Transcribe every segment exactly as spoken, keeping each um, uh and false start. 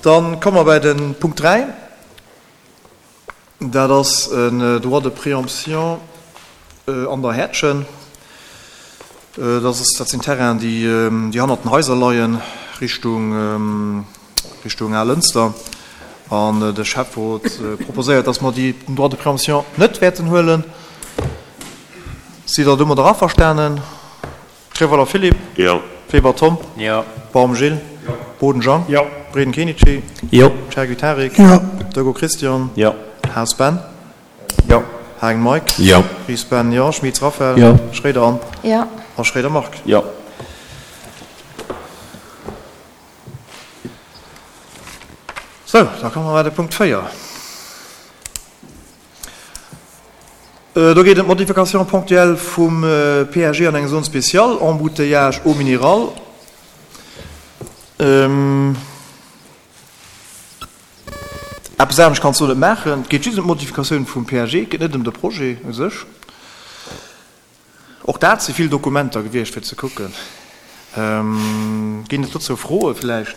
Dann komme mer bei de Punkt dräi. Dat ass en Droit de préemption an der Häertchen. Dat ass, dat sinn Terrainen, déi, déi hannert den Haiser leien, Richtung, Richtung Alënster. An de Schäfferot proposéiert, dass mer déi, den Droit de préemption net wäerten huelen. Sidd Der domadder averstanen? Treweiler Philippe? Jo. Weber Tom? Jo. Baum Gilles? Jo. Boden Jean? Jo. Breden Kenichi? Jo. Chergui Tarik? Jo. Dego Christian? Jo. Haas Ben? Jo. Hagen Mike? Jo. Ries Ben, jo. Schmitz Raphaël? Jo. Schroeder Anne? Jo. A Schroeder Marc? Jo. Sou, da komme mer bei de Punkt véier. Do geet ëm d'Modification ponctuelle vum P A G an eng Zone spéciale, Embouteillage eau minérale. Eppes anescht kanns du net maachen. Et geet just ëm d'Modifikatioun vum P A G, et geet net ëm de Projet u sech. Och dat si vill Dokumenter gewiescht, fir ze kucken. Ginn et dozou Froe vläicht?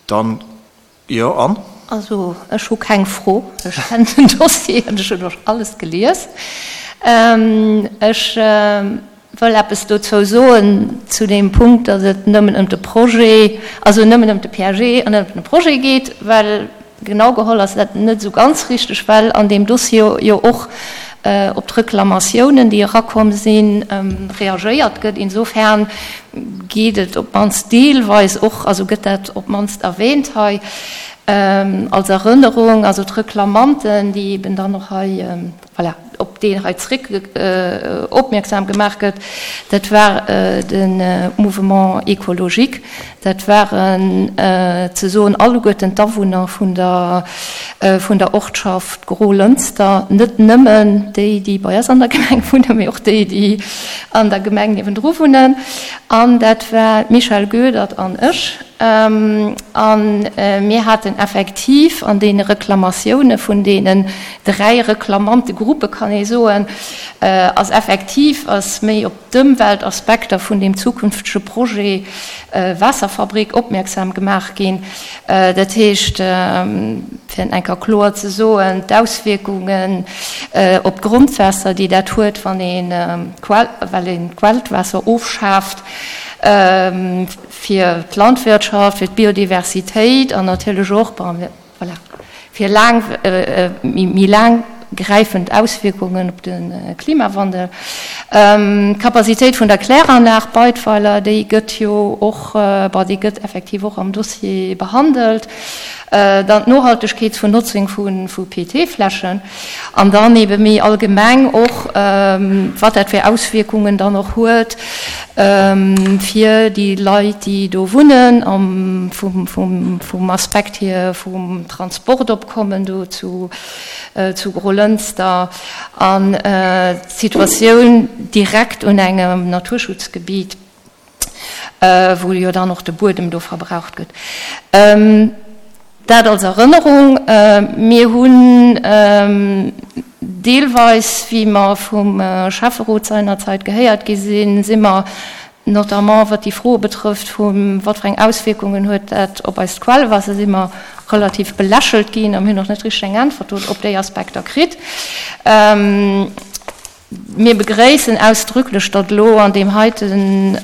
Dann, jo, Anne? Also, ech hu keng Fro. Ech kennen den Dossier an ech hunn och alles gelies. Ech wëll eppes dozou soen, zu deem Punkt, datt et nëmmen ëm de Projet, also nëmmen ëm de P A G an net ëm de Projet geet, well genau geholl ass dat net esou ganz richteg, well an deem Dossier jo och op d'Reklamatiounen, déi erakomm sinn, reagéiert gëtt. Insofern geet et op d'mannst deelweis och, also gëtt dat op d'mannst erwähnt hei als Erënnerung, also d'Reklamanten, déi eben dann och hei, voilà, op deen hei zréck opmierksam gemaach gëtt, dat war de Mouvement écologique, dat waren ze soen alleguerten d'Awunner vun der vun der Ortschaft Grolënster, net nëmmen déi, déi bei eis an der Gemeng wunnen, mee och déi, déi an der Gemeng niewendru wunnen. An dat war d'Michèle Goedert an ech. An mir haten effektiv an deene Reklamatioune vun deenen dräi Reklamantegruppe, kann ee soen, ass effektiv ass méi op d'Ëmweltaspekter vun deem zukünftege Projet Waasserfabrik opmierksam gemaach ginn. Dat heescht, fir et eng Kéier kloer ze soen, d'Auswierkungen op d'Grondwaasser, déi dat huet, wann een well een d'Quellwaasser ofschaaft, fir d'Landwirtschaft, fir d'Biodiversitéit an natierlech och, bon, voilà, fir laang, méi laang gräifend Auswierkungen op de Klimawandel. D'Capacitéit vun der Kläranlag Beidweiler, déi gëtt jo och, bon, déi gëtt effektiv och am Dossier behandelt. Dann d'Nohaltegkeet vun Notzung vu P E T-Fläschen an dann ebe méi allgemeng och, wat dat fir Auswierkungen dann och huet fir déi Leit, déi do wunnen, am, vum, vum, vum Aspekt hier vum Transportopkommen do zu, zu Grolënster an d'Situatioun direkt un engem Naturschutzgebiet, wou jo dann och de Buedem do verbraucht gëtt. Dat als Erënnerung. Mir hunn deelweis, wéi mer vum Schäfferot seinerzeit gehéiert gi sinn, si mer notamment wat déi Froe betrëfft, vu wat fir eng Auswierkungen huet dat op eist Quellwaasser, si mer relativ belächelt ginn a mir hunn och net richteg eng Äntwert op déi Aspekter kritt. Mir begréissen ausdrücklech, datt elo an deem heiten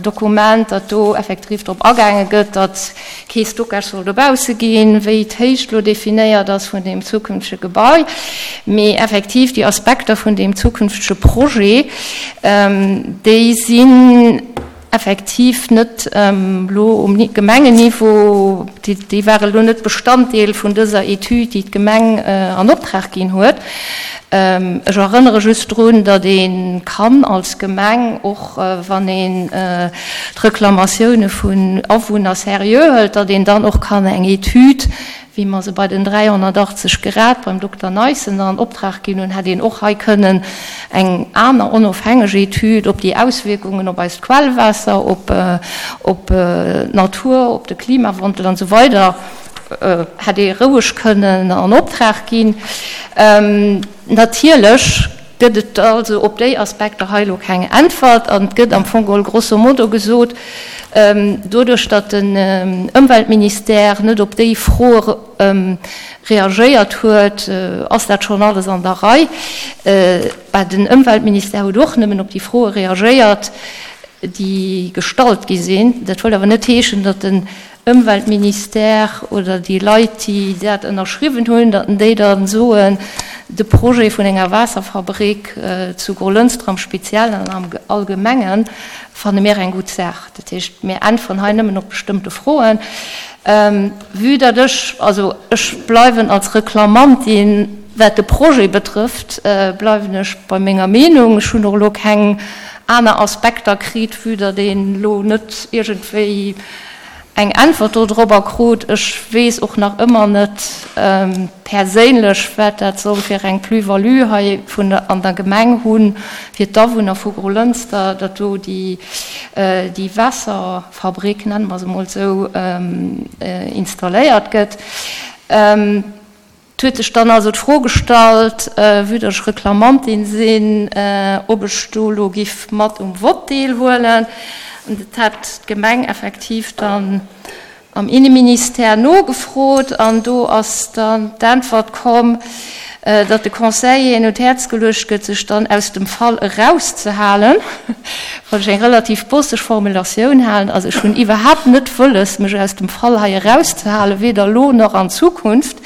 Dokument, datt do effektiv drop agaange gëtt, datt kee Stockage soll dobausse ginn, wéi d'Héicht elo definéiert ass vun deem zukünftege Gebai. Mee effektiv déi Aspekter vun deem zukünftege Projet, déi sinn effektiv net elo um Gemengenniveau, déi ware elo net Bestanddeel vun dëser Etüd, déi d'Gemeng an Optrag ginn huet. Ech erënnere just drun, datt ee kann als Gemeng, och wann een d'Reklamatioune vun Awunner seriö hëlt, datt een dann och kann eng Etüd, wéi mer se bei den dräihonnertachtzeg Grad beim Dokter Neissen an Optrag ginn hunn, hätt een och hei kënnen eng aner onofhängeg Etüd op déi Auswierkungen op eist Quellwaasser, op op d'Natur, op de Klimawandel an esou weider, hätt ee roueg kënnen an Optrag ginn. Natierlech gëtt et also op déi Aspekter hei elo keng Äntwert an et gëtt am Fong geholl grosso modo gesot, doduerch datt den Ëmweltministère net op déi Froe reagéiert huet, ass dat schonn alles an der Rei. Bah, den Ëmweltministère huet och nëmmen op déi Froe reagéiert, déi gestallt gi sinn. Dat wëll awer net heeschen, datt den Ëmweltministère oder déi Leit, déi dat ënnerschriwwen hunn, datt déi da soen, de Projet vun enger Waasserfabrik zu Grolënster am Speziellen an am Allgemenge fanne mir eng gutt Saach. Dat heescht, mir äntweren hei nëmmen op bestëmmte Froen. Vue datt ech, also ech bleiwen als Reklamantin, wat de Projet betrëfft, bleiwen ech bei menger Meenung. Ech hunn och elo keng aner Aspekter kritt, vue datt een elo net iergendwéi eng Äntwert dodrobber krut. Ech weess och nach ëmmer net perséinlech, wat dat soll fir eng Plus-value hei vun der, an der Gemeng hunn, fir d'Awunner vu Grolënster, datt do déi, déi Waasserfabrik, nenne mer se emol esou, installéiert gëtt. Et huet sech dann also d'Fro gestallt, vue datt ech Reklamantin sinn, ob ech do elo giff mat um Vott deelhuelen. An dat hat d'Gemeng effektiv dann am Inneministère nogefrot an do ass dann d'Äntwert komm, datt de Conseilleren un d'Häerz geluecht gëtt, sech dann aus dem Fall erauszehalen, wat ech eng relativ bosseg Formulatioun halen. Also ech hunn iwwerhaapt net wëlles, mech aus dem Fall hei erauszehalen, weder elo nach an Zukunft.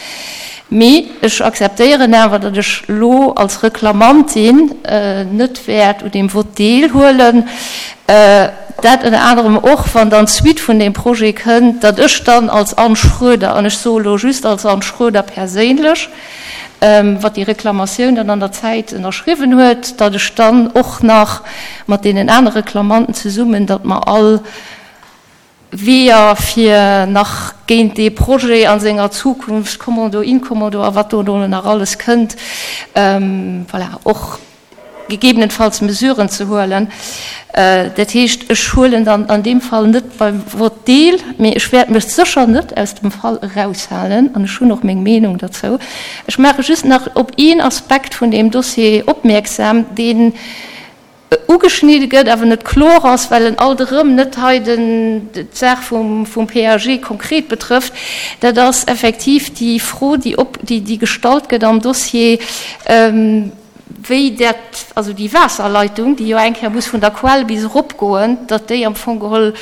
Mee ech akzeptéieren awer, datt ech elo als Reklamantin net wäert un deem Vott deelhuelen. Dat ënner anerem och, wann dann d'Suite vun deem Projet kënnt, datt ech dann als Anne Schroeder, an ech soe elo just als Anne Schroeder perséinlech, wat déi Reklamatioun dann an der Zäit ënnerschriwwen huet, datt ech dann och nach mat deenen anere Reklamanten zesummen, datt mer all Weeër fir nach géint dee Projet a senger Zukunft, Kommando, Inkommando a wat do elo nach alles kënnt, voilà, och gegebenenfalls Mesuren ze huelen. Dat heescht, ech huelen dann an deem Fall net beim Vott deel, mee ech wäert mech sécher net aus dem Fall eraushalen an ech hunn och meng Meenung derzou. Ech maache just nach op een Aspekt vun deem Dossier opmierksam, deen ugeschnidde gëtt, awer net kloer ass, well en alt erëm net hei den, d'Saach vum, vum P A G konkret betrëfft, dat ass effektiv déi Fro, déi op, déi, déi gestallt gëtt am Dossier, wéi dat, also déi Waasserleitung, déi jo eng Kéier muss vun der Quell bis eropgoen, datt déi am Fong geholl,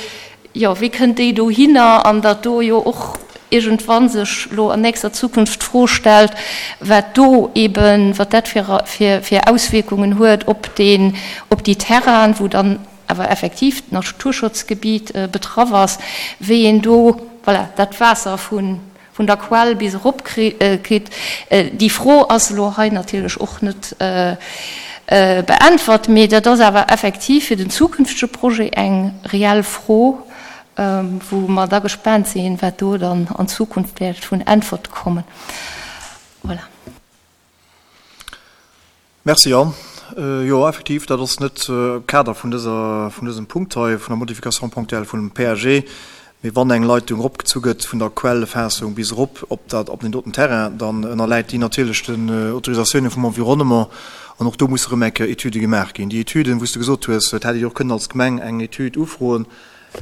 jo, wéi kënnt déi dohinner an datt do jo och iergendwann sech elo an nächster Zukunft d'Fro stellt, wat do eben, wat dat fir, fir, fir Auswierkungen huet op deen, op déi Terrainen, wou dann awer effektiv d'Naturschutzgebiet betraff ass, wéi een do, voilà, dat Waasser vun, vun der Quell bis erop kritt. Déi Fro ass elo hei natierlech och net beäntwert, mee dat ass awer effektiv fir den zukünftege Projet eng reell Fro, wou mer da gespaant sinn, wat do dann an Zukunft wäert vun Äntwerte kommen. Voilà. Merci, Anne. Jo, effektiv, dat ass net Kader vun dëser, vun dësem Punkt hei, vun der Modification ponctuelle vun dem P A G. Mee wann eng Leitung eropgezu gëtt vun der Quellefaassung bis erop op dat, op den doten Terrain, dann ënnerläit déi natierlech den Autorisatiounen vum Environnement. An och do musse erëm eng Kéier Etüde gemaach ginn. Déi Etüden, wou s de gesot hues, et hätt ee jo och kënnen als Gemeng eng Etüd ufroen,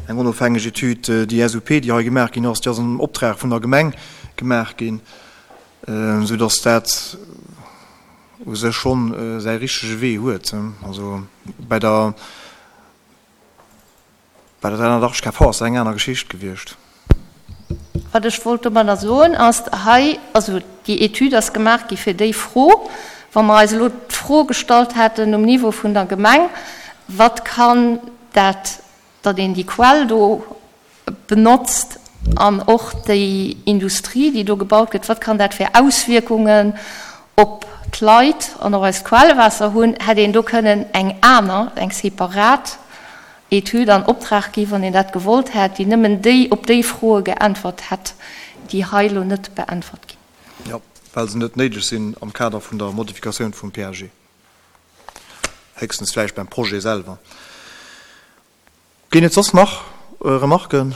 eng onofhängeg Etüd, déi S U P, déi hei gemaach ginn ass, déi ass am Optrag vun der Gemeng gemaach ginn, soudass dat u sech schonn säi richtege Wee huet. Also bei der Bei der dräihunnertachtzeg K V ass dat eng aner Geschicht gewiescht. Wat ech wollt domadder soen ass, hei, also déi Etüd ass gemaach gi fir déi Fro, wa mer eis elo d'Fro gestallt hätten um Niveau vun der Gemeng, wat kann dat, datt een déi Quell do benotzt an och déi Industrie, déi do gebaut gëtt, wat kann dat fir Auswierkungen op d'Leit an op eist Quellwaasser hunn, hätt een do kënnen eng aner, eng separat Etüd an Optrag gi, wann een dat gewollt hätt, déi nëmmen déi op déi Froe geäntwert hätt, déi hei elo net beäntwert ginn. Jo, well se net néideg sinn am Kader vun der Modifikatioun vum P A G. Héchstens vläicht beim Projet selwer. Ginn et soss nach Remarken?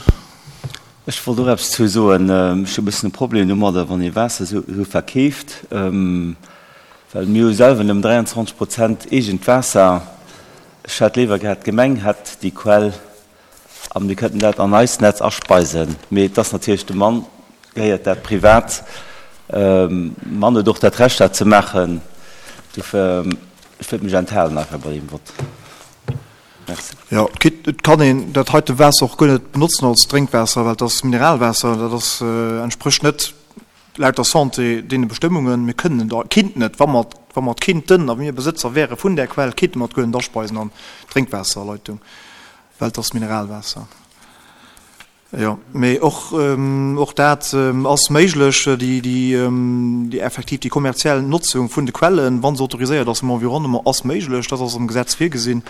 Ech wollt och eppes zu soen. Ech hu e bëssen e Problem domadder, wann ee Waasser esou verkeeft. Well mir hu selwer nëmmen dräianzwanzeg Prozent eegent Waasser. Ech hätt léiwer gehat, d'Gemeng hätt déi Quell a mir kënnten dat an eist Netz aspeisen. Mee et ass natierlech dem Mann gehéiert dat privat. Mann huet och dat Recht, dat ze maachen. Dofir, ech wëllt mech enthalen einfach bei deem Vott. Merci. Jo, et kann een dat heite Waasser och guer net benotzen als Drénkwaasser, well et ass Mineralwaasser. Dat ass, entsprécht net laut der Santé deene Bestëmmungen. Mir kënnen et, kinnten et, wa mer, wa mer et kinnten a mir Besëtzer wäre vun där Quell, kinnte mer et guer net aspeisen an d'Drénkwaasserleitung, well et ass Mineralwaasser. Jo, mee och, och dat ass méiglech, déi, déi, déi effektiv déi kommerziell Notzung vun de Quellen, wa se autoriséiert ass vum Environnement, ass méiglech. Dat ass am Gesetz virgesinn.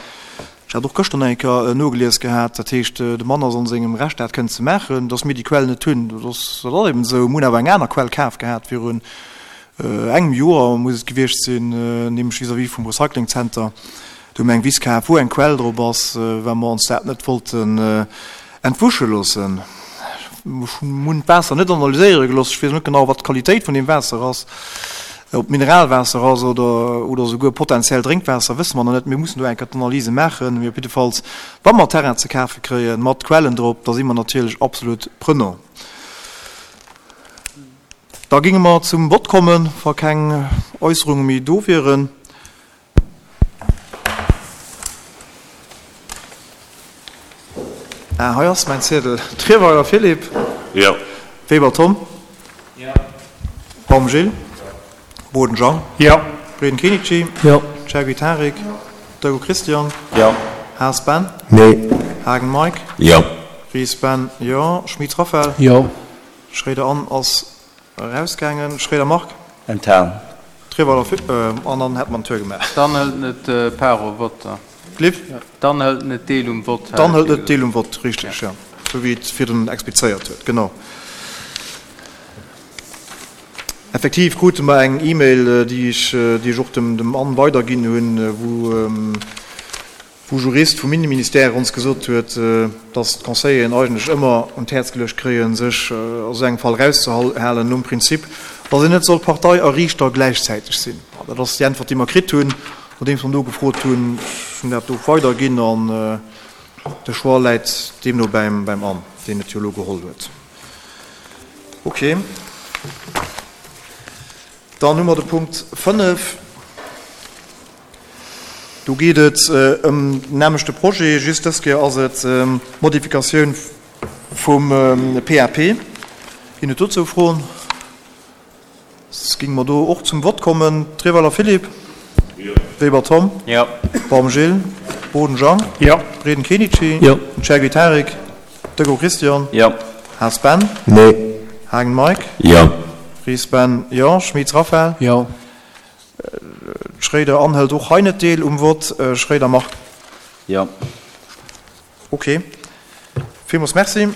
Ech hat och gëschter nach eng Kéier nogelies gehat. Dat heescht, de Mann ass an sengem Recht, dat kënnen ze maachen. Dass mir déi Quell net hunn, dat ass, dat ass eben esou. Mir hunn awer eng aner Quell kaf gehat virun engem Joer, muss et gewiescht sinn, nämlech vis-à-vis vum Recyclingzenter. Do hu mir eng Wiss kaf, wou eng Quell drop ass, well mer ons dat net wollten entwusche loossen. Ech hunn d'Waasser net analyséiere gelooss. Ech weess net genau, wat d'Qualitéit vun deem Waasser ass. Ob et Mineralwaasser ass oder, oder souguer potenziell Drénkwaasser, wësse mer nach net. Mir mussen do eng Kéier d'Analyse maachen. Mee op jiddefalls, wa mer Terrain ze kafe kréien, mat Quellen drop, da si mer natierlech absolut prenant. Da géinge mer zum Vott kommen, wa keng Äusserunge méi do wieren. Ah, hei ass mäin Ziedel. Trierweiler Philippe. Jo. Weber Tom. Jo. Baum Gilles. Boden Jean. Jo. Breden Kenichi. Jo. Chergui Tarik. Jo. Dego Christian. Jo. Haas Ben. Nee. Hagen Mike. Jo. Ries Ben. Jo. Schmit Raphaël. Jo. Schréider Anne ass erausgaangen. Schréider Marc. Enthalen. Trierweiler Philippe. An dann hätt mer den Tour gemaach. Dann hëlt net part au vote. Liv? Dann hëlt net deel um Vott. Dann hëlt net deel um Vott, richteg, jo. Esou wéi et virdrun explizéiert huet, genau. Effektiv krute mer eng E-Mail, déi ech, déi ech och dem, dem Anne weiderginn hunn, wou, wou Jurist vum Inneministère ons gesot huet, dass d'Conseilleren eigentlech ëmmer un d'Häerz geluecht kréien, sech a sou engem Fall erauszehalen, nom Prinzip, dass een net soll Partei a Riichter gläichzäiteg sinn. Dat ass déi Äntwert, déi mer kritt hunn, nodeems mer nogefrot hunn. Ech hunn dat do weiderginn an de Choix läit deemno beim Anne, deen et jo elo geholl huet. Okay. Dann hu mer de Punkt fënnef. Do geet et ëm den nämlechte Projet, just dës Kéier ass et d'Modifikatioun vum P A P. Ginn et dozou Froen? Soss géinge mer do och zum Vott kommen. Trierweiler Philippe. Jo. Weber Tom. Jo. Baum Gilles. Boden Jean. Jo. Breden Kenichi. Jo. Chergui Tarik. Dego Christian. Jo. Haas Ben. Nee. Hagen Mike. Jo. Ries Ben. Jo. Schmitz Raphaël. Jo. Schréider Anne hëlt och hei net deel um Vott. Schréider Marc. Jo. Ok. Villmools Merci.